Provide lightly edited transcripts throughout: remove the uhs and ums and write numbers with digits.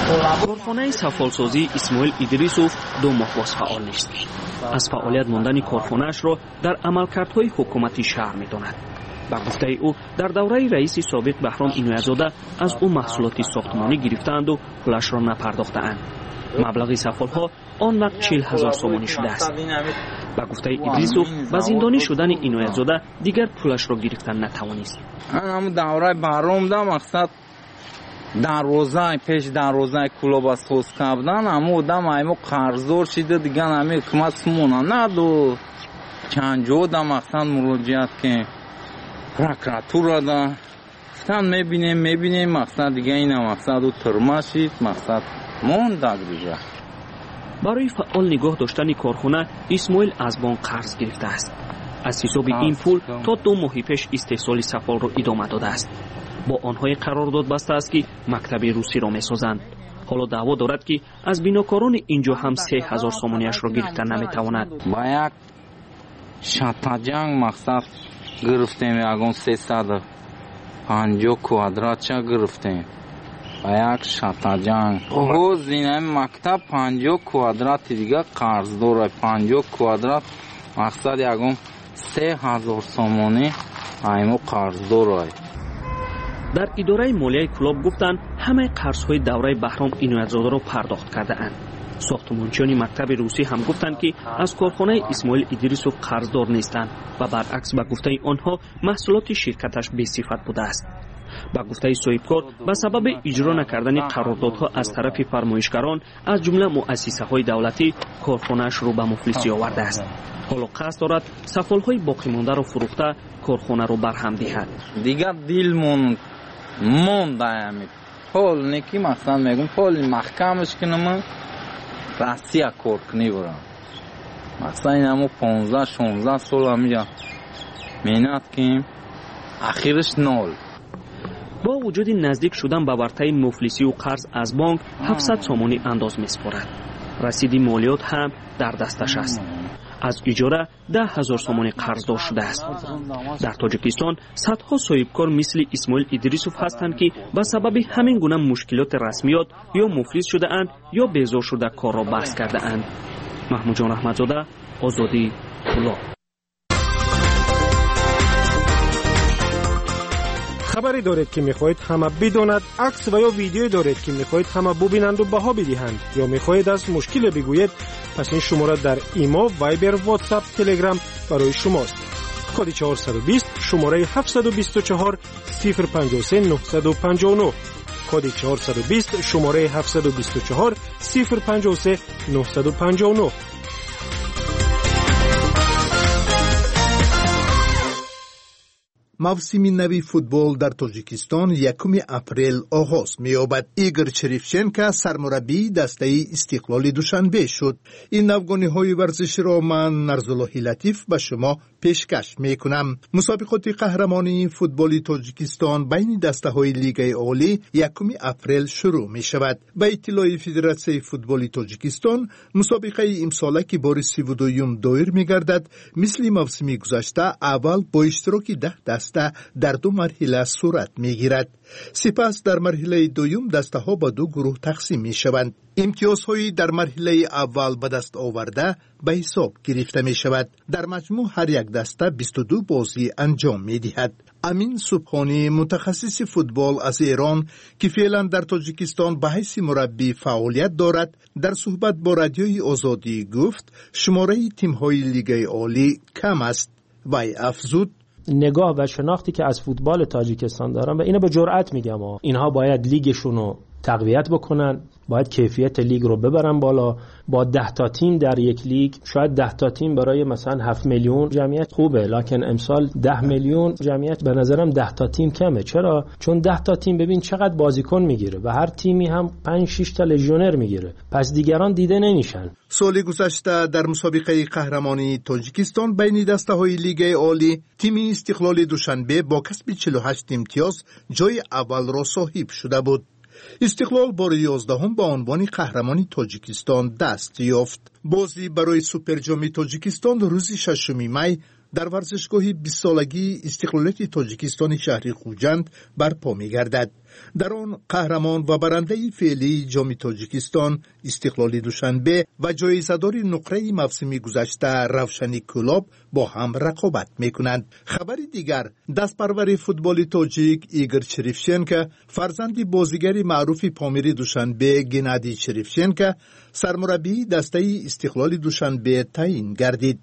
Корхонаи сафолсозии Исмоил Идрисов 2 моҳ боз фаъол нест. Аз фаъолият мондани корхонаашро дар амалкардҳои ҳукумати шаҳр медонад. Ба гуфтаи ӯ, дар давраи раиси собиқ Баҳром Иноятзода аз ӯ маҳсулоти сохтмонӣ гирифтаанду пулашро напардохтаанд. Маблағи сафолҳо он вақт 40 000 сомонӣ шудааст. Ба гуфтаи Идрисов, ба зиндонӣ шудани Иноятзода дигар пулашро гирифтан натавонист. Ҳамун давраи Баҳром да мақсад дарвозаи пеш дарвозаи клуба соз кардан, ҳамун одам аймо қарздор шида, дигар ҳами ҳукумат сумона надод. Чанд ҷо да мақсад муроҷиат кем, прокуратура да гуфтан мебинем, мақсад дига ина мақсад ӯ турма шид, мақсад мондаг дига. Барои фаъол нигоҳ доштани корхона Исмоил аз бонк қарз гирифтааст. Аз ҳисоби ин пул то 2 моҳи пеш истеҳсоли сафолро идома додааст. Бо онҳое қарордод бастааст, ки мактаби русиро месозанд. Ҳоло даъво дорад, ки аз бинокорони ин ҷо ҳам 3000 сомониашро гирифта наметавонад. Ба як шатаҷанг мақсад гирифтем, ягон 350 квадратча гирифтем. Ба як шатаҷанг. Ҳоз ин мактаб 50 квадрати дига қарз дорад. 50 квадрат мақсад ягон 3000 сомонӣ аймо қарз дорад. Дар идораи молияи Кӯлоб гуфтанд, ҳамаи қарзҳои давраи Баҳром Иноятзодаро пардохт кардаанд. Сохтмончиёни мактаби русӣ ҳам гуфтанд, ки аз корхонаи Исмоил Идрисов қарздор нестанд ва баръакс ба гуфтаи онҳо маҳсулоти ширкаташ бесифат будааст. Ба гуфтаи соҳибкор, ба сабаби иҷро накардани қарордодҳо аз тарафи фармоишгарон, аз ҷумла муассисаҳои давлатӣ, корхонааш рӯ ба муфлисӣ овардааст. Ҳоло қасд дорад сафолҳои боқимондаро фурӯхта корхонаро барҳам диҳад. Дигар дилмон мондаами пол неки мақсад мегум поли маҳкамаш кунам, Россия кор кунӣ бурам. Мақсад ин ҳамо 15-16 сол ҳамиҷа меҳнат кунем, ахираш нол. Бо вуҷуди наздик шудан ба вартаи муфлисию қарз аз бонк 700 сомонӣ андоз месупорад. Расиди молиёт ҳам дар дасташ аст. Аз иҷора 10 000 сомонӣ қарздор шудааст. Дар Тоҷикистон садҳо соҳибкор мисли Исмоил Идрисов ҳастанд, ки ба сабаби ҳамин гуна мушкилоти расмиёт ё муфлис шудаанд ё безор шуда корро баҳс кардаанд. Маҳмудҷон Раҳматзода, Озодӣ, Кӯлоб. Хабаре доред, ки мехоҳед ҳама бидонад, акс ва ё видеое доред, ки мехоҳед ҳама бубинанду баҳо бидиҳанд, ё мехоҳед аз мушкиле бигӯед, пас ин шумора дар Имо, Вайбер, Ватсап, Телеграм барои шумост. Коди 420, шумораи 724 053 959. Коди 420, шумораи 724 053 959. Мавсими нави футбол дар Тоҷикистон 1 апрел оғоз меёбад. Игор Черевченко сармураббии дастаи Истиқлоли Душанбе шуд. Ин навгониҳои варзиширо ман, Нарзуллоҳи Латиф, ба шумо пешкаш мекунам. Мусобиқоти қаҳрамонии футболи Тоҷикистон байни дастаҳои Лигаи Олӣ 1 апрел шурӯъ мешавад. Ба иттилои Федератсияи футболи Тоҷикистон, мусобиқаи имсола, ки бори 32-юм доир мегардад, мисли мавсими гузашта аввал бо иштироки 10 даста дар 2 марҳила сурат мегирад. Сипас дар марҳилаи дуюм дастаҳо ба 2 гурӯҳ тақсим мешаванд. Имтиёзҳои дар марҳилаи аввал ба даст оварда ба ҳисоб гирифта мешавад. Дар маҷмӯъ ҳар як даста 22 бозӣ анҷом медиҳад. Амин Субҳонӣ, мутахассиси футбол аз Эрон, ки феълан дар Тоҷикистон ба ҳайси мураббӣ фаъолият дорад, дар суҳбат бо Радиои Озодӣ гуфт, шумораи тимҳои Лигаи Олӣ кам аст. Вай афзуд: نگاه و شناختی که از فوتبال تاجیکستان دارم و اینو به جرئت میگم، اینها باید لیگشون رو تقویت بکنن، باید کیفیت لیگ رو ببرن بالا. با 10 تا تیم در یک لیگ، شاید 10 تا تیم برای مثلا 7 میلیون جمعیت خوبه، لکن امسال 10 میلیون جمعیت به نظرم 10 تا تیم کمه. چرا؟ چون 10 تا تیم ببین چقدر بازیکن میگیره و هر تیمی هم 5-6 تا لژیونر میگیره، پس دیگران دیده نمیشن. соли гузашта дар мусобиқаи қаҳрамонии Тоҷикистон байни дастаҳои Лигаи Олӣ тими Истиқлоли Душанбе бо касби 48 имтиёз ҷои аввалро соҳиб шуда буд. Истиқлол бори 11-ум ба унвони қаҳрамони Тоҷикистон даст ёфт. Бозӣ барои Суперҷоми Тоҷикистон рӯзи 6 май Дар варзишгоҳи бистсолагии истиқлолияти Тоҷикистони шаҳри Хуҷанд барпо мегардад. Дар он қаҳрамон ва барандаи феълии Ҷоми Тоҷикистон Истиқлоли Душанбе ва ҷоизадори нуқраи мавсими гузашта Равшани Кӯлоб бо ҳам рақобат мекунанд. Хабари дигар: дастпарвари футболи тоҷик Игор Черевченко, фарзанди бозигари маъруфи Помири Душанбе Геннадий Черевченко, сармураббии дастаи Истиқлоли Душанбе таъин гардид.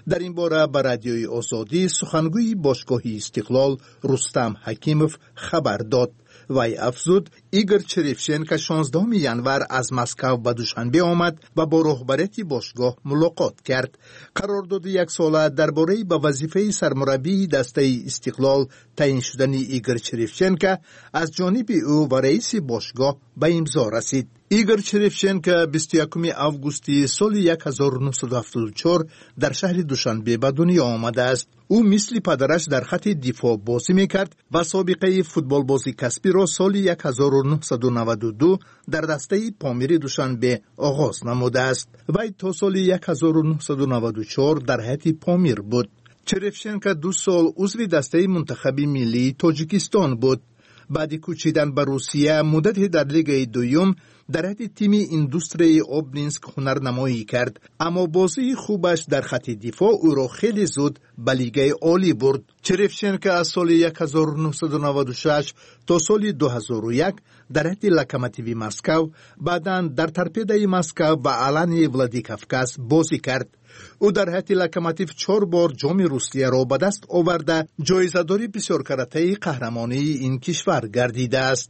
Дар ин бора ба Радиои Озодӣ сухангӯи бошгоҳи Истиқлол Рустам Ҳакимов хабар дод. Вай афзуд, Игор Черевченко 16 январ аз Москав ба Душанбе омад ва бо роҳбарияти бошгоҳ мулоқот кард. Қарордоди яксола дар бораи ба вазифаи сармураббии дастаи Истиқлол таъин шудани Игор Черевченко аз ҷониби ӯ ва раиси бошгоҳ ба имзо расид. Игор Черевченко 21 августи соли 1974 дар шаҳри Душанбе ба дунё омадааст. Ӯ мисли падараш дар хатти дифоъ бозӣ мекард ва собиқаи футболбози касбиро соли 1992 дар дастаи Помири Душанбе оғоз намудааст. Вай то соли 1994 дар ҳайати Помир буд. Черевченко 2 сол узви дастаи мунтахаби миллии Тоҷикистон буд. Баъди кӯчидан ба Русия муддате дар лигаи дуюм дар ҳайати тими Индустрияи Обнинск ҳунарнамоӣ кард, аммо бозии хубаш дар хатти дифоъ ӯро хеле зуд ба лигаи олӣ бурд. Черевченко аз соли 1996 то соли 2001 дар ҳайати Локомотиви Москав, баъдан дар Торпедаи Москав ва Алании Владикавказ бозӣ кард. Ӯ дар ҳайати Локомотив 4 бор ҷоми Русияро ба даст оварда, ҷоизадори бисёркаратаи қаҳрамонии ин кишвар гардидааст.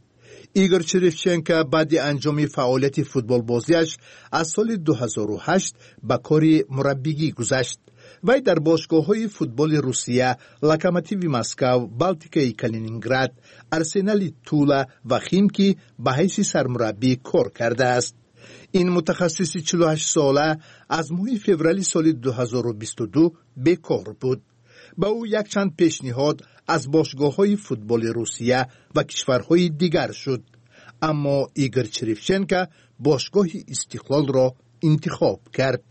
Игор Черевченко баъди анҷоми фаъолияти футболбозиаш аз соли 2008 ба кори мураббигӣ гузашт. Вай дар бошгоҳҳои футболи Русия, Локомотиви Москав, Балтикаи Калининград, Арсенали Тула ва Химки ба ҳайси сармураббӣ кор кардааст. Ин мутахассиси 48-сола аз моҳи феврали соли 2022 бекор буд. Ба ӯ якчанд пешниҳод аз бошгоҳҳои футболи Русия ва кишварҳои дигар шуд, аммо Игор Черевченко бошгоҳи Истиқлолро интихоб кард.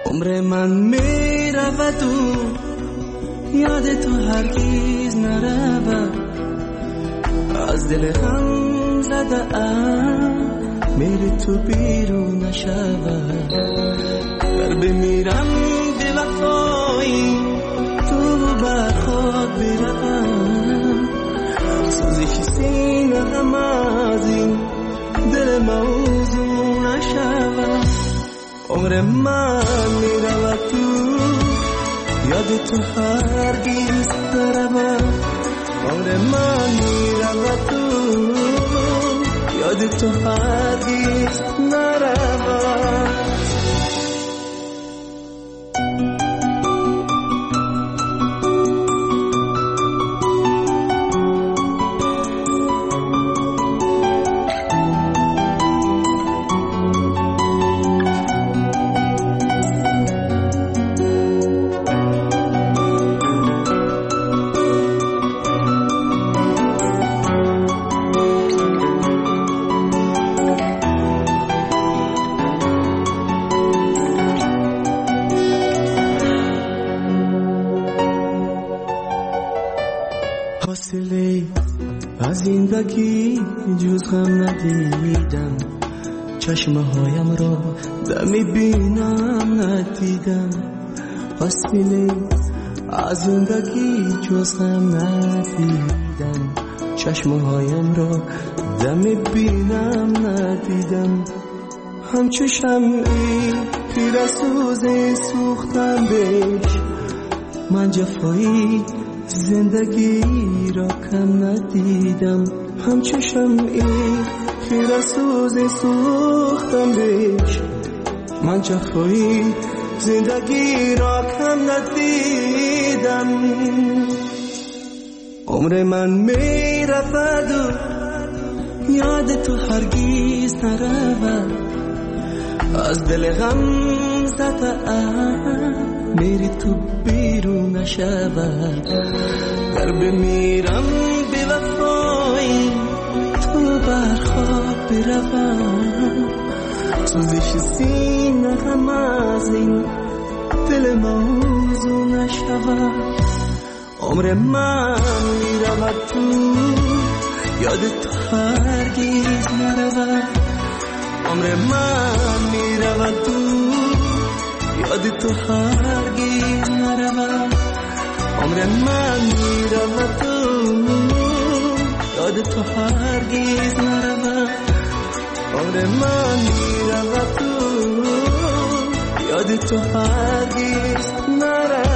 Умри ман меравад, ёди ту ҳаргиз наравад, аз дили ғам задаам мери ту берун нашавад, гар бимирам бевафои ту бар худ биравам, сӯзиши сина ғам аз ин дил мавзун нашавад. Умри ман меравад, ту ёди ту ҳаргиз наравад, умри ман меравад, ту ёди ту ҳаргиз наравад. Аз зиндагӣ ҷуз ғам надидам, чашмҳоямро дами бинам надидам. Фосила аз зиндагӣ ҷуз ғам надидам, чашмҳоямро дами бинам надидам. Ҳамчу шамъи пирасӯзе сӯхтам беш, ман ҷафои зиндагиро кам надидам. Ҳамчу шамъи хирасӯзе сӯхтам беш, ман ҷафои зиндагиро кам надидам. Умри ман меравад, ёди ту ҳаргиз наравад, аз дили ғам задаам мери ту берун нашавад, гар бимирам бевафои ту بر خواب بروم، سوزش سینه هم از این دل موضوع نشود. عمر من میرود تو یاد تو هرگز نرود، عمر من میرود تو یاد تو هرگز نرود، عمر من میرود تو یاد تو هرگز نرود، عمر من میرود تو یاد تو هرگز نرود.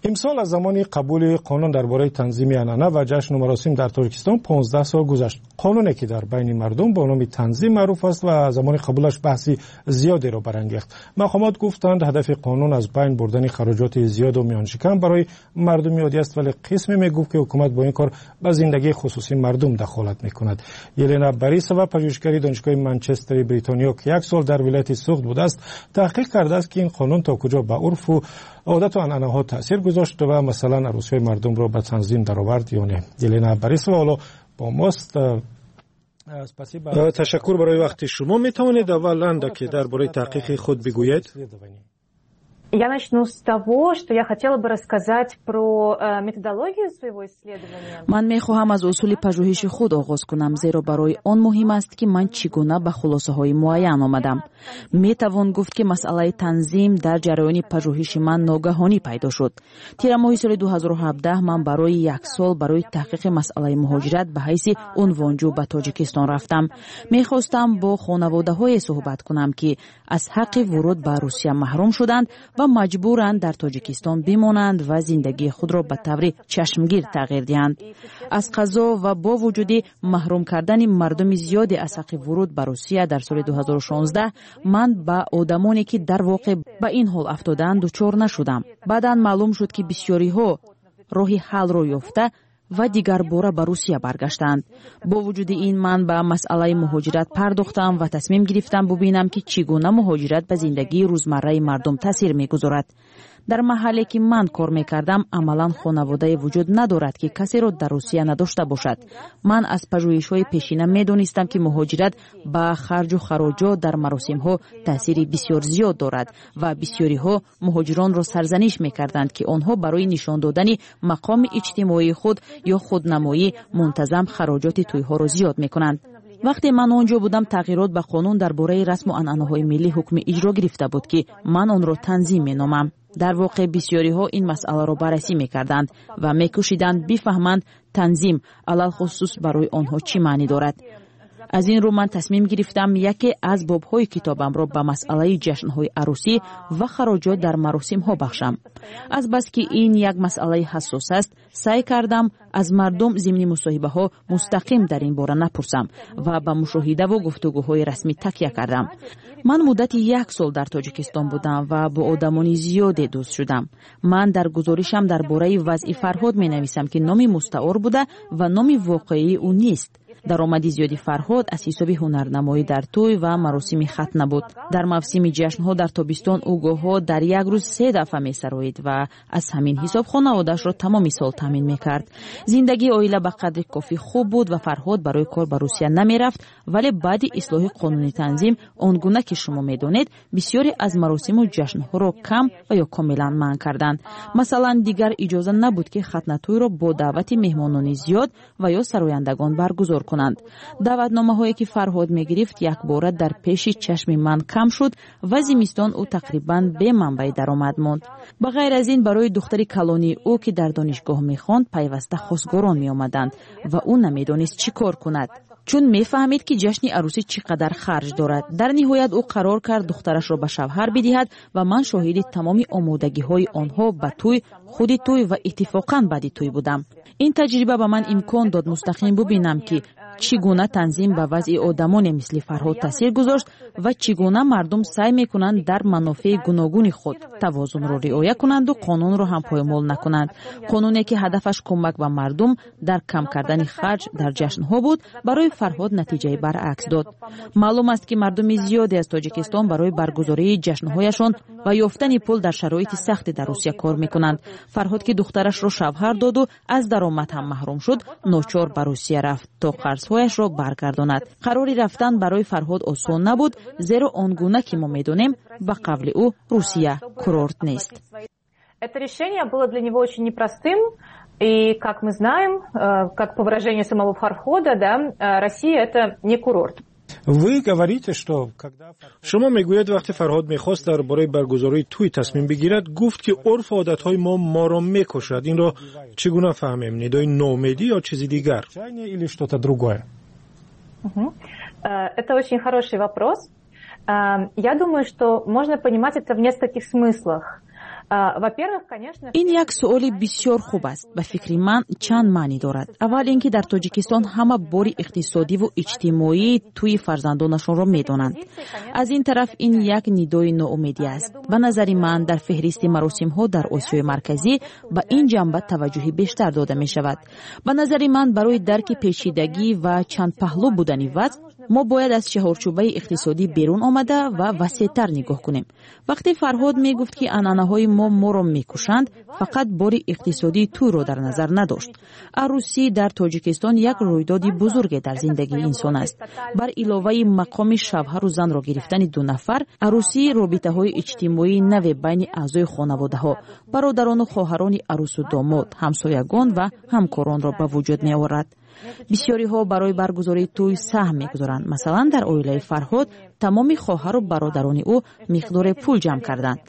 Имсол аз замони қабули қонун дар бораи танзими анъана ва ҷашну маросим дар Тоҷикистон 15 сол гузашт. Қонуне ки дар байни мардум бо номи танзим маъруф аст ва замони қабулаш баҳси зиёдеро барангехт. Мақомот гуфтанд, ҳадафи қонун аз байн бурдани хароҷоти зиёду миёншикан барои мардуми оддӣ аст, вале қисме мегуфт, ки ҳукумат бо ин кор ба зиндагии хусусии мардум дахолат мекунад. Елена Борисова, пажӯҳишгари Донишгоҳи Манчестери Бритониё, ки як сол дар вилояти Суғд будааст, таҳқиқ кардааст, ки ин қонун то куҷо ба урфу одату анъанаҳо таъсир гузошт ва масалан арӯсиҳои мардумро ба танзим даровард ё не. Елена Борисова ҳоло бо мост. Ташаккур барои вақти шумо. Метавонед аввал андаке дар бораи таҳқиқи худ бигӯед? Я начну с того, что я хотела бы рассказать про методологию своего исследования. Ман мехоҳам аз усули пажӯҳиши худ оғоз кунам, зеро барои он муҳим аст, ки ман чӣ гуна ба хулосаҳои муайян омадам. Метавон гуфт, ки масъалаи танзим дар ҷараёни пажӯҳиши ман ногаҳонӣ пайдо шуд. Тирамоҳи соли 2017 ман барои як сол барои таҳқиқи масъалаи муҳоҷират ба ҳайси унвонҷӯ ба Тоҷикистон рафтам. Мехостам бо хонаводаҳое суҳбат кунам, ки аз ҳаққи вуруд ба Русия маҳрум шуданд ва маҷбуранд дар Тоҷикистон бимонанд ва зиндагии худро ба таври чашмгир тағйир диҳанд. Аз қазо ва бо вуҷуди маҳрум кардани мардуми зиёде аз ҳаққи вуруд ба Русия дар соли 2016 ман ба одамоне, ки дар воқеъ ба ин ҳол афтодаанд, дучор нашудам. Баъдан маълум шуд, ки бисёриҳо роҳи ҳаллро ёфта ва дигарбора ба Русия баргаштанд. Бо вуҷуди ин ман ба масъалаи муҳоҷират пардохтам ва тасмим гирифтам бубинам, ки чӣ гуна муҳоҷират ба зиндагии рӯзмарраи мардум таъсир мегузорад. Дар маҳалле, ки ман кор мекардам, амалан хонаводае вуҷуд надорад, ки касеро дар Русия надошта бошад. Ман аз пажӯҳишҳои пешина медонистам, ки муҳоҷират ба харҷу хароҷот дар маросимҳо таъсири бисёр зиёд дорад ва бисёриҳо муҳоҷиронро сарзаниш мекарданд, ки онҳо барои нишон додани мақоми иҷтимоии худ ё худнамоӣ мунтазам хароҷоти тӯйҳоро зиёд мекунанд. Вақте ман он ҷо будам, тағйирот ба қонун дар бораи расму анъанаҳои миллӣ ҳукми иҷро гирифта буд, ки ман онро танзим меномам. Дар воқеъ бисёриҳо ин масъаларо баррасӣ мекарданд ва мекӯшиданд бифаҳманд танзим алалхусус барои онҳо чӣ маънӣ дорад. Аз ин рӯ ман тасмим гирифтам яке аз бобҳои китобамро ба масъалаи ҷашнҳои арӯсӣ ва хароҷот дар маросимҳо бахшам. Азбаски ин як масъалаи ҳассос аст, саъй кардам аз мардум зимни мусоҳибаҳо мустақим дар ин бора напурсам ва ба мушоҳидаву гуфтугӯҳои расмӣ такя кардам. Ман муддати як сол дар Тоҷикистон будам ва бо одамони зиёде дӯст шудам. Ман дар гузоришам дар бораи вазъи Фарҳод менависам, ки номи мустаор буда ва номи воқеии ӯ нест. Даромади зиёди Фарҳод аз ҳисоби ҳунарнамоӣ дар тӯй ва маросими хатна буд. Дар мавсими ҷашнҳо дар тобистон ӯ гоҳҳо дар як рӯз 3 дафъа месароид ва аз ҳамин ҳисоб хонаводаашро тамоми сол таъмин мекард. Зиндагии оила ба қадри кофӣ хуб буд ва Фарҳод барои кор ба Русия намерафт, вале баъди ислоҳи қонуни танзим, он гуна ки шумо медонед, бисёре аз маросиму ҷашнҳоро кам ва ё комилан манъ карданд. Масалан, дигар иҷоза набуд, ки хатнатӯйро бо даъвати меҳмонони зиёд ва ё сарояндагон баргузор кунанд. Даъватномаҳое, ки Фарҳод мегирифт, якбора дар пеши чашми ман кам шуд ва зимистон ӯ тақрибан бе манбаи даромад монд. Ба ғайр аз ин, барои духтари калонии ӯ, ки дар донишгоҳ мехонд, пайваста хосгорон меомаданд ва ӯ намедонист чӣ кор кунад, чун мефаҳмид, ки ҷашни арӯсӣ чӣ қадар харҷ дорад. Дар ниҳоят ӯ қарор кард духтарашро ба шавҳар бидиҳад ва ман шоҳиди тамоми омодагиҳои онҳо ба тӯй, худи тӯй ва иттифоқан баъди тӯй будам. Ин таҷриба ба ман имкон дод мустақим бубинам, ки Чӣ гуна танзим ба вазъи одамоне мисли Фарҳод таъсир гузошт ва чӣ гуна мардум саъй мекунанд дар манофеи гуногуни худ тавозунро риоя кунанду қонунро ҳам поймол накунанд. Қонуне, ки ҳадафаш кӯмак ба мардум дар кам кардани харҷ дар ҷашнҳо буд, барои Фарҳод натиҷаи баръакс дод. Маълум аст, ки мардуми зиёде аз Тоҷикистон барои баргузории ҷашнҳояшон ва ёфтани пул дар шароити сахте дар Русия кор мекунанд. Фарҳод, ки духтарашро шавҳар доду аз даромад ҳам маҳрум шуд, ночор ба Русия рафт, то қарзҳояшро баргардонад. Қарори рафтан барои Фарҳод осон набуд, зеро он гуна ки мо медонем, ба қавли ӯ, Русия курорт нест. Это решение было для него очень непростым. И, как мы знаем, как по выражению самого Фархода, да, Россия – это не курорт. Вы говорите, что когда Шумо мегӯед, вақте Фарҳод мехост дар бораи баргузории тӯй тасмим бигирад, гуфт, ки урфу одатҳои мо моро мекушад. Инро чӣ гуна фаҳмем: нидои ноумедӣ ё чизи дигар, или что-то другое? Это очень хороший вопрос. Я думаю, что можно понимать это в нескольких смыслах. Ин як суоли бисёр хуб аст. Ба фикри ман, чанд маънӣ дорад. Аввал ин ки дар Тоҷикистон ҳама бори иқтисодиву иҷтимоии тӯи фарзандонашонро медонанд. Аз ин тараф, ин як нидои ноумедӣ аст. Ба назари ман, дар феҳристи маросимҳо дар Осиёи Марказӣ ба ин ҷанба таваҷҷӯҳи бештар дода мешавад. Ба назари ман, барои дарки печидагӣ ва чандпаҳлӯ будани вазъ мо бояд аз чаҳорчӯбаи иқтисодӣ берун омада ва васеътар нигоҳ кунем. Вақте Фарҳод мегуфт, ки анъанаҳои мо моро мекушанд, фақат бори иқтисодии тӯйро дар назар надошт. Арӯсӣ дар Тоҷикистон як рӯйдоди бузурге дар зиндагии инсон аст. Бар иловаи мақоми шавҳару занро гирифтани ду нафар, арӯсӣ робитаҳои иҷтимоии наве байни аъзои хонаводаҳо, бародарону хоҳарони арӯсу домод, ҳамсоягон ва ҳамкоронро ба вуҷуд меорад. Бисёриҳо барои баргузории тӯй саҳм мегузоранд. Масалан, дар оилаи Фарҳод тамоми хоҳару бародарони ӯ миқдоре пул ҷамъ карданд.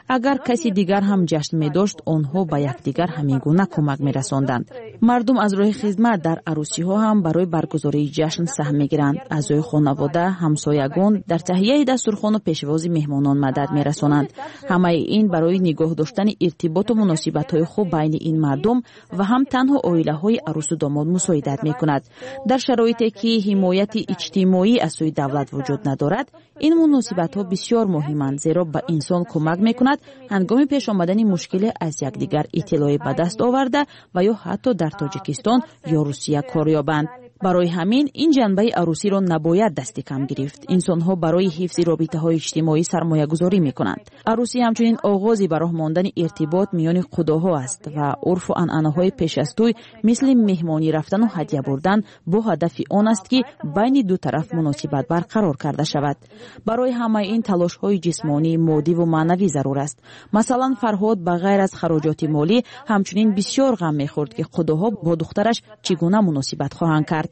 Агар каси дигар ҳам ҷашн медошт, онҳо ба якдигар ҳамин гуна кӯмак мерасонданд. Мардум аз роҳи хизмат дар арӯсиҳо ҳам барои баргузории ҷашн саҳм мегиранд. Аъзои хонавода, ҳамсоягон дар таҳияи дастурхону пешвози меҳмонон мадад мерасонанд. Ҳамаи ин барои нигоҳ доштани иртиботу муносибатҳои хуб байни ин мардум ва ҳам танҳо оилаҳои арӯсу домод мусоидат мекунад. Дар шароите ки ҳимояти иҷтимоӣ аз сӯи давлат вуҷуд надорад, ин муносибатҳо бисёр муҳиманд, зеро ба инсон кӯмак мекунад ҳангоми пеш омадани мушкиле аз якдигар иттилоъе ба даст оварда ва ё ҳатто дар Тоҷикистон ё Русия кор ёбанд. Барои ҳамин ин ҷанбаи арӯсиро набояд дасти кам гирифт. Инсонҳо барои ҳифзи робитаҳои иҷтимоӣ сармоягузорӣ мекунанд. Арӯсӣ ҳамчунин оғози ба роҳ мондани иртибот миёни қудоҳо аст ва урфу анъанаҳои пеш аз тӯй, мисли меҳмонӣ рафтану ҳадя бурдан, бо ҳадафи он аст, ки байни ду тараф муносибат барқарор карда шавад. Барои ҳамаи ин талошҳои ҷисмонӣ, моддиву маънавӣ зарур аст. Масалан, Фарҳод ба ғайр аз хароҷоти молӣ ҳамчунин бисёр ғам мехӯрд, ки қудоҳо бо духтараш чӣ гуна муносибат хоҳанд кард.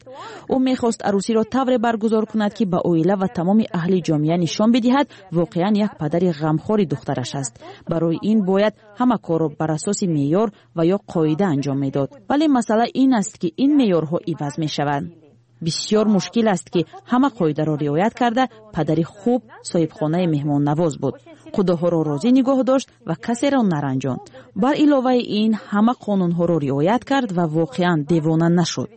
Ӯ мехост арӯсиро тавре баргузор кунад, ки ба оила ва тамоми аҳли ҷомеа нишон бидиҳад, воқеан як падари ғамхори духтараш аст. Барои ин бояд ҳама корро бар асоси меъёр ва ё қоида анҷом медод. Вале масъала ин аст, ки ин меъёрҳо иваз мешаванд. Бисёр мушкил аст, ки ҳама қоидаро риоят карда. Падари хуб, соҳибхонаи меҳмоннавоз буд, қудоҳоро розӣ нигоҳ дошт ва касеро наранҷонд. Бар иловаи ин, ҳама қонунҳоро риоят кард ва воқеан девона нашуд.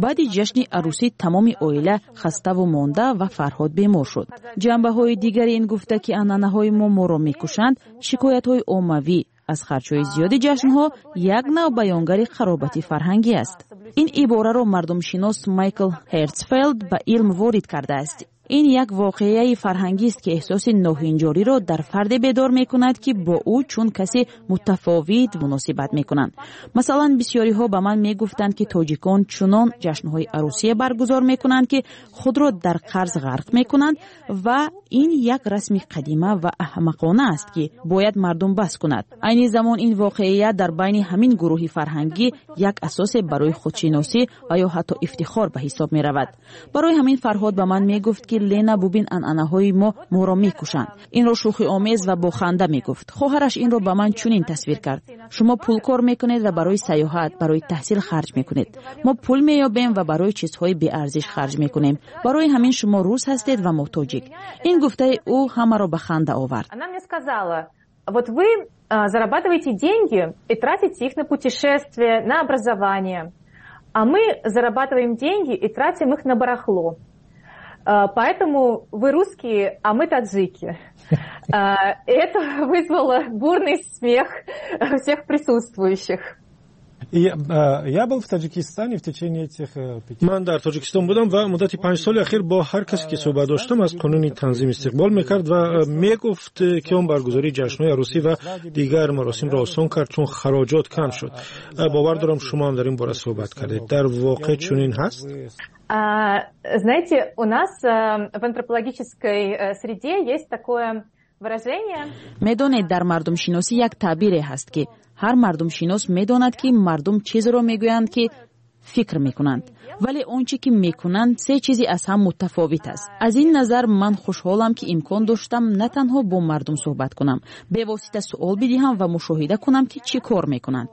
Баъди ҷашни арӯсӣ тамоми оила хаставу монда ва Фарҳод бемор шуд. Ҷанбаҳои дигари ин гуфта, ки анъанаҳои мо моро мекушанд, шикоятҳои оммавӣ аз харҷҳои зиёди ҷашнҳо як нав баёнгари қаробати фарҳангӣ аст. Ин ибораро мардумшинос Майкл Ҳертсфелд ба илм ворид кардааст. Ин як воқеаи фарҳангист, ки эҳсоси ноҳинҷориро дар фарде бедор мекунад, ки бо ӯ чун касе мутафовит муносибат мекунанд. Масалан, бисёриҳо ба ман мегуфтанд, ки тоҷикон чунон ҷашнҳои арӯсие баргузор мекунанд, ки худро дар қарз ғарқ мекунанд, ва ин як расми қадима ва аҳмақона аст, ки бояд мардум бас кунад. Айни замон ин воқеият дар байни ҳамин гурӯҳи фарҳангӣ як асосе барои худшиносӣ ва ё ҳатто ифтихор ба ҳисоб меравад. Барои ҳамин Фарҳод ба ман мегуфт, ки «Лена, бубин, анъанаҳои мо моро мекушанд». Инро шӯхиомез ва бо ханда мегуфт. Хоҳараш инро ба ман чунин тасвир кард: «Шумо пул кор мекунед ва барои сайёҳат, барои таҳсил харҷ мекунед. Мо пул меёбем ва барои чизҳои беарзиш харҷ мекунем. Барои ҳамин шумо рус ҳастед ва мо тоҷик». Ин гуфтаи ӯ ҳамаро ба ханда овард. Она мне сказала: вот вы зарабатываете деньги и тратите их на путешествия, на образование. А мы зарабатываем деньги и тратим их на барахло. Поэтому вы русские, а мы таджики. Это вызвало бурный смех всех присутствующих. Я был в Таджикистане в течение этих 5. Ман дар Тоҷикистон будам ва муддати 5 соли ахир бо ҳар касе ки суҳбат доштам, аз қонуни танзим истиқбол мекард ва мегуфт, ки он баргузории ҷашнҳои арӯсӣ ва дигар маросимро осон кард, чун хароҷот кам шуд. Бовар дорам, шумо ҳам дар ин бора суҳбат кардед. Дар воқеъ чунин ҳаст? Знаете, у нас в антропологической среде есть такое выражение. Медонед, дар мардумшиносӣ як таъбире ҳаст, ки ҳар мардумшинос медонад, ки мардум чизеро мегӯянд, ки фикр мекунанд, вале он чӣ ки мекунанд, се чизи аз ҳам мутафовит аст. Аз ин назар ман хушҳолам, ки имкон доштам на танҳо бо мардум суҳбат кунам, бевосита суол бидиҳам ва мушоҳида кунам, ки чӣ кор мекунанд.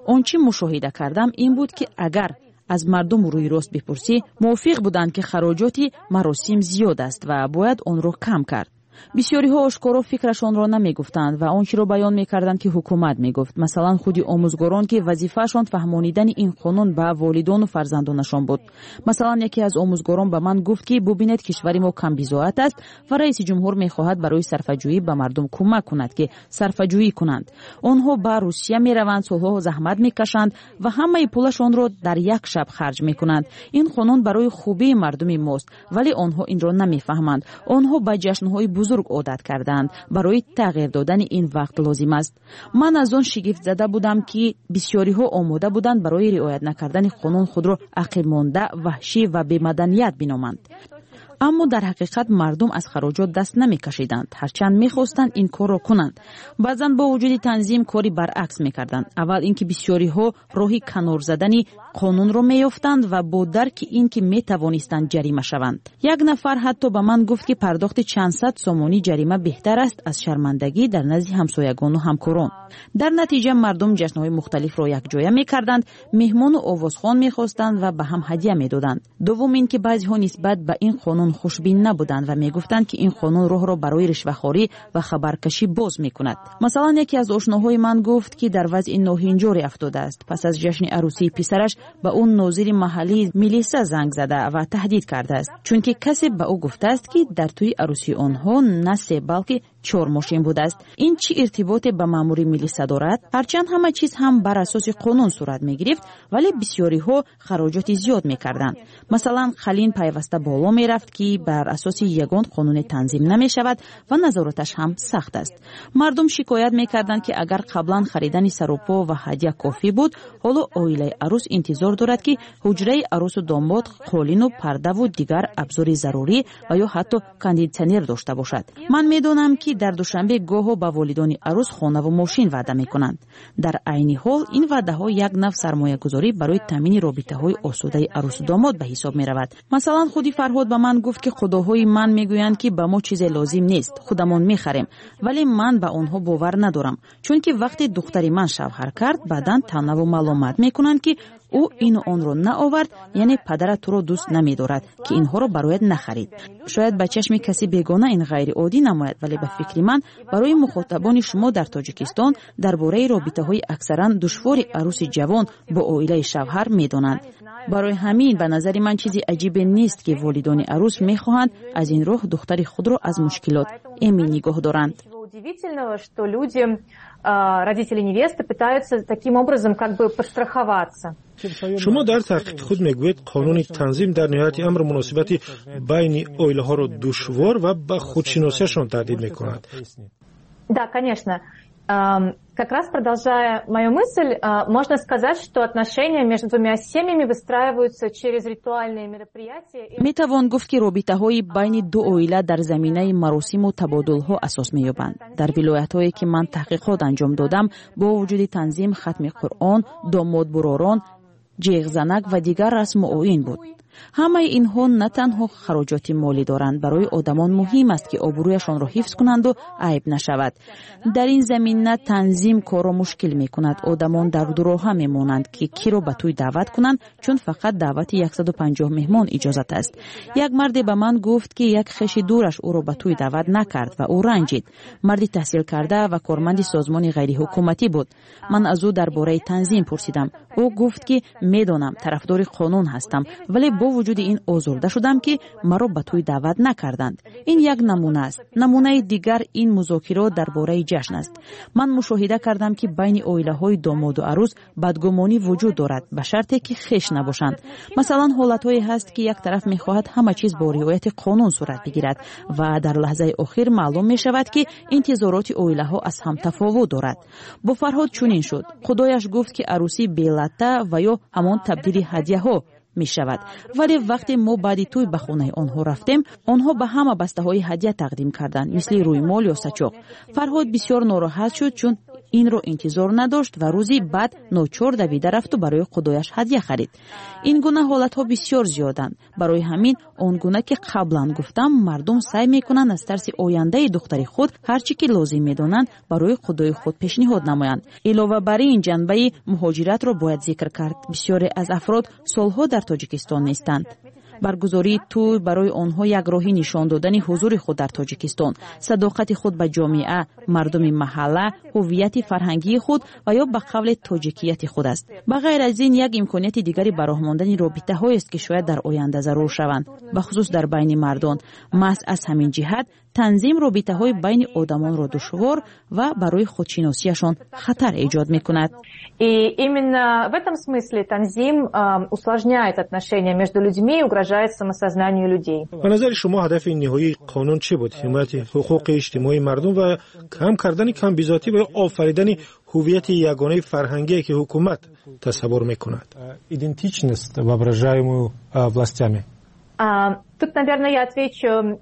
Он чӣ мушоҳида кардам, ин буд, ки агар аз мардум рӯи рост бипурсӣ, мувофиқ буданд, ки хароҷоти маросим зиёд аст ва бояд онро кам кард. Бисёриҳо ошкоро фикрашонро намегуфтанд ва он чиро баён мекарданд, ки ҳукумат мегуфт. Масалан, худи омӯзгорон, ки вазифаашон фаҳмонидани ин қонун ба волидону фарзандонашон буд. Масалан, яке аз омӯзгорон ба ман гуфт, ки бубинед, кишвари мо камбизоат аст ва раиси ҷумҳур мехоҳад барои сарфаҷӯӣ ба мардум кӯмак кунад, ки сарфаҷӯӣ кунанд. Онҳо ба Русия мераванд, солҳо заҳмат мекашанд ва ҳамаи пулашонро дар як шаб харҷ мекунанд. Ин қонун барои хубии мардуми мост, вале онҳо инро намефаҳманд. Онҳо ба ҷашнҳои бузург одат кардаанд, барои тағйир додани ин вақт лозим аст. Ман аз он шигифтзада будам, ки бисёриҳо омода буданд барои риоят накардани қонун худро ақибмонда, ваҳшӣ ва бемаданият биноманд. Аммо дар ҳақиқат мардум аз хароҷот даст намекашиданд, ҳарчанд мехостанд ин корро кунанд. Баъзан бо вуҷуди танзим кори баръакс мекарданд. Аввал ин ки бисёриҳо роҳи канор задани қонунро меёфтанд ва бо дарки ин ки метавонистанд ҷарима шаванд. Як нафар ҳатто ба ман гуфт, ки пардохти чанд сад сомонӣ ҷарима беҳтар аст аз шармандагӣ дар назди ҳамсоягону ҳамкорон. Дар натиҷа мардум ҷашнҳои мухталифро якҷоя мекарданд, меҳмону овозхон мехостанд ва ба ҳам ҳадя медоданд. Дуввум ин ки баъзеҳо нисбат ба ин қонун хушбин набуданд ва мегуфтанд, ки ин қонун роҳро барои ришвахорӣ ва хабаркашӣ боз мекунад. Масалан, яке аз ошноҳои ман гуфт, ки дар вазъи ноҳинҷоре афтодааст. Пас аз ҷашни арӯсии писараш ба ӯ нозири маҳаллии милиса занг зада ва таҳдид кардааст, чунки касе ба ӯ гуфтааст, ки дар тӯи арӯсии онҳо на се, балки чор мошин будааст. Ин чӣ иртиботе ба маъмури милиса дорад? Ҳарчанд ҳама чиз ҳам бар асоси қонун сурат мегирифт, вале бисёриҳо хароҷоти зиёд мекарданд. Масалан, қалин пайваста боло мерафт, ки бар асоси ягон қонуне танзим намешавад ва назораташ ҳам сахт аст. Мардум шикоят мекарданд, ки агар қаблан харидани сарупо ва ҳадя кофӣ буд, ҳоло оилаи арӯс интизор дорад, ки ҳуҷраи арӯсу домод қолину пардаву дигар абзори зарурӣ ва ё ҳатто кондитсионер дошта бошад. Ман медонам, ки дар Душанбе гоҳо ба волидони арӯс хонаву мошин ваъда мекунанд. Дар айни ҳол ин ваъдаҳо як нав сармоягузорӣ барои таъмини робитаҳои осудаи арӯсу домод ба ҳисоб меравад. Масалан, худи Фарҳод ба ман гуфт, ки худоҳои ман мегӯянд, ки ба мо чизе лозим нест, худамон мехарем, вале ман ба онҳо бовар надорам, чунки вақте духтари ман шавҳар кард, баъдан таънаву маломат мекунанд, ки ӯ ину онро наовард, яъне падарат туро дӯст намедорад, ки инҳоро барояд нахарид. Шояд ба чашми каси бегона ин ғайриоддӣ намояд, вале ба фикри ман, барои мухотабони шумо дар Тоҷикистон дар бораи робитаҳои аксаран душвори арӯси ҷавон бо оилаи шавҳар медонанд. Барои ҳамин ба назари ман чизи аҷибе нест, ки волидони арӯс мехоҳанд аз ин роҳ духтари худро аз мушкилот эмин нигоҳ доранд. Удивительного, что люди, родители невесты, пытаются таким образом как бы подстраховаться. Шумо дар таҳқиқи худ мегӯед, қонуни танзим дар ниҳояти амр муносибати байни оилаҳоро душвор ва ба худшиносиашон таҳдид мекунад. Да, конечно. Как раз продолжая мою мысль, можно сказать, что отношения между двумя семьями выстраиваются через ритуальные мероприятия. Метавон гуфт, ки робитаҳои байни ду оила дар заминаи маросиму табодулҳо асос меёбанд. Дар вилоятҳое, ки ман таҳқиқот анҷом додам, бо вуҷуди танзим, хатми Қуръон, домодбуророн, ҷеғзанак ва дигар расму оин буд. Ҳамаи инҳо на танҳо хароҷоти молӣ доранд. Барои одамон муҳим аст, ки обрӯяшонро ҳифз кунанду айб нашавад. Дар ин замина танзим корро мушкил мекунад. Одамон дар дуроҳа мемонанд, ки киро ба тӯй даъват кунанд, чун фақат даъвати 150 меҳмон иҷозат аст. Як марде ба ман гуфт, ки як хеши дураш ӯро ба тӯй даъват накард ва ӯ ранҷид. Марди таҳсилкарда ва корманди созмони ғайриҳукуматӣ буд. Ман аз ӯ дар бораи танзим пурсидам. Ӯ гуфт, ки медонам, тарафдори қонун ҳастам, вале бо вуҷуди ин озурда шудам, ки маро ба тӯй даъват накарданд. Ин як намуна аст. Намунаи дигар ин музокирот дар бораи ҷашн аст. Ман мушоҳида кардам, ки байни оилаҳои домоду арӯс бадгумонӣ вуҷуд дорад, ба шарте ки хеш набошанд. Масалан, ҳолатҳое ҳаст, ки як тараф мехоҳад ҳама чиз бо риояти қонун сурат бигирад ва дар лаҳзаи охир маълум мешавад, ки интизороти оилаҳо аз ҳам тафовут дорад. Бо Фарҳод чунин шуд. Худояш гуфт, ки арӯсӣ белатта ва ё ҳамон табдили ҳадяҳо мешавад, вале вақте мо баъди тӯй ба хонаи онҳо рафтем, онҳо ба ҳама бастаҳои ҳадя тақдим карданд, мисли рӯймол ё сачоқ. Фарҳод бисёр нороҳат шуд, чун инро интизор надошт ва рӯзи баъд ночор давида рафту барои худояш ҳадя харид. Ин гуна ҳолатҳо бисёр зиёданд. Барои ҳамин, он гуна ки қаблан гуфтам, мардум саъй мекунанд аз тарси ояндаи духтари худ ҳар чӣ ки лозим медонанд, барои худои худ пешниҳод намоянд. Илова бар ин, ҷанбаи муҳоҷиратро бояд зикр кард. Бисёре аз афрод солҳо дар Тоҷикистон нестанд. Баргузории тӯй барои онҳо як роҳи нишон додани ҳузури худ дар Тоҷикистон, садоқати худ ба ҷомеа, мардуми маҳалла, ҳуввияти фарҳангии худ ва ё ба қавле тоҷикияти худ аст. Ба ғайр аз ин, як имконияти дигари ба роҳ мондани робитаҳоест, ки шояд дар оянда зарур шаванд, бахусус дар байни мардон. Маҳз аз ҳамин ҷиҳат танзим робитаҳои байни одамонро душвор ва барои худшиносиашон хатар эҷод мекунад. И именно в этом смысле танзим усложняет отношения между людьми и угрожает самосознанию людей. Ба назари шумо, ҳадафи ниҳоии қонун чӣ буд? Ҳимояти ҳуқуқи иҷтимоии мардум ва кам кардани камбизоатӣ ва ё офаридани ҳуввияти ягонаи фарҳангие, ки ҳукумат тасаввур мекунад? Идентичность, воображаемую властями. Тут, наверное, я отвечу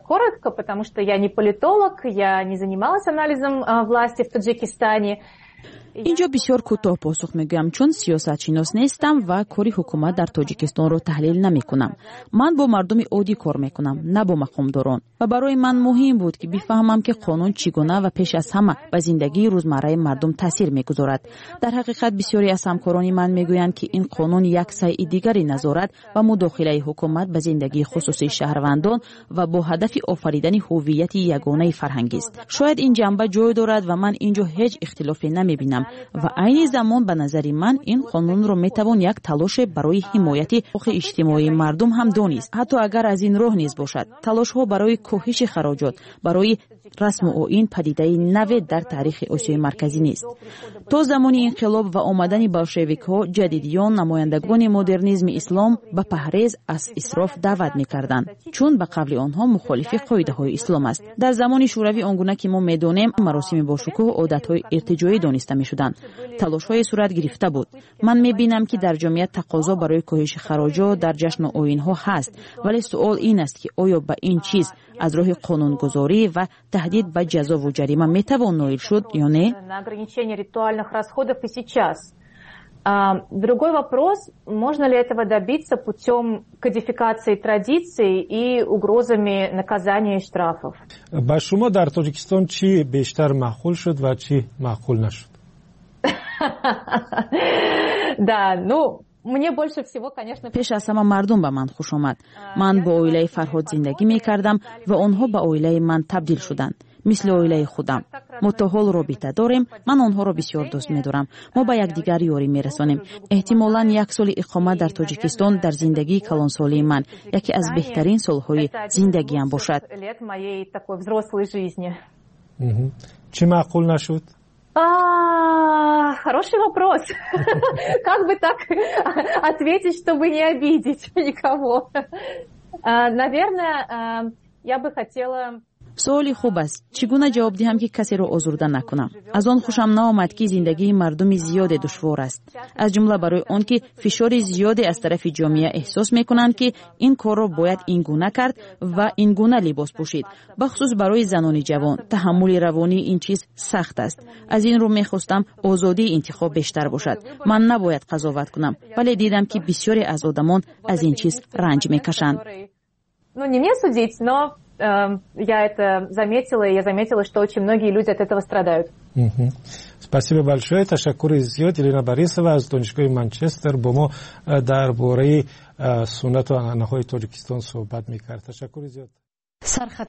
коротко, потому что я не политолог, я не занималась анализом власти в Таджикистане. Инҷо бисёр кӯтоҳ посух мегӯям, чун сиёсатшинос нестам ва кори ҳукумат дар Тоҷикистонро таҳлил намекунам. Ман бо мардуми оддӣ кор мекунам, на бо мақомдорон, ва барои ман муҳим буд, ки бифаҳмам, ки қонун чӣ гуна ва пеш аз ҳама ба зиндагии рӯзмарраи мардум таъсир мегузорад. Дар ҳақиқат, бисёре аз ҳамкорони ман мегӯянд, ки ин қонун як сайи дигари назорат ва мудохилаи ҳукумат ба зиндагии хусусии шаҳрвандон ва бо ҳадафи офаридани ҳуввияти ягонаи фарҳангист. Шояд ин ҷанба ҷой дорад ва ман ин ҷо ҳеҷ ихтилофе намебинам. Ва айни замон, ба назари ман, ин қонунро метавон як талоше барои ҳимояти ҳуқуқи иҷтимоии мардум ҳам донист, ҳатто агар аз ин роҳ низ бошад. Талошҳо барои коҳиши хароҷот барои расму оин падидаи наве дар таърихи Осиёи Марказӣ нест. То замони инқилоб ва омадани болшевикҳо, ҷадидиён, намояндагони модернизми ислом ба паҳрез аз исроф даъват мекарданд, чун ба қавли онҳо мухолифи қоидаҳои ислом аст. Дар замони Шӯравӣ, он гуна ки мо медонем, маросими бошукӯҳ одатҳои иртиҷоӣ дониста мешуданд. Талошҳое сурат гирифта буд. Ман мебинам, ки дар ҷомеа тақозо барои коҳиши хароҷот дар ҷашну оинҳо ҳаст, вале суол ин аст, ки оё ба ин чиз аз роҳи қонунгузорӣ ва таҳдид ба ҷазову ҷарима метавон ноил шуд ё не. На ограничение ритуальных расходов и сейчас. Другой вопрос, можно ли этого добиться путем кодификации традиций и угрозами наказания и штрафов. Ба шумо дар Тоҷикистон чӣ бештар маъқул шуд ва чӣ маъқул нашуд? Да, ну, мне больше всего, конечно. Пеш аз ҳама мардум ба ман хуш омад. Ман бо оилаи Фарҳод зиндагӣ мекардам ва онҳо ба оилаи ман табдил шуданд, мисли оилаи худам. Мо то ҳол робита дорем. Ман онҳоро бисёр дӯст медорам. Мо ба якдигар ёрӣ мерасонем. Эҳтимолан, як соли иқомат дар Тоҷикистон дар зиндагии калонсолии ман яке аз беҳтарин солҳои зиндагиам бошад. Лет моей такой взрослой жизни. Чӣ маъқул нашуд? Хороший вопрос. Как бы так ответить, чтобы не обидеть никого? Наверное, я бы хотела. Суоли хуб аст. Чӣ гуна ҷавоб диҳам, ки касеро озурда накунам? Аз он хушам наомад, ки зиндагии мардуми зиёде душвор аст, аз ҷумла барои он ки фишори зиёде аз тарафи ҷомеа эҳсос мекунанд, ки ин корро бояд ин гуна кард ва ин гуна либос пӯшид. Бахусус барои занони ҷавон таҳаммули равонии ин чиз сахт аст. Аз ин рӯ мехостам озодии интихоб бештар бошад. Ман набояд қазоват кунам, вале дидам, ки бисёре аз одамон аз ин чиз ранҷ мекашанд. Ну, не мне судить, но я это заметила, и я заметила, что очень многие люди от этого страдают. Спасибо большое. Ташаккури зиёд. Елена Борисова аз Донишгоҳи Манчестер бо мо дар бораи суннату анъанаҳои Тоҷикистон суҳбат мекард. Ташаккури зиёд.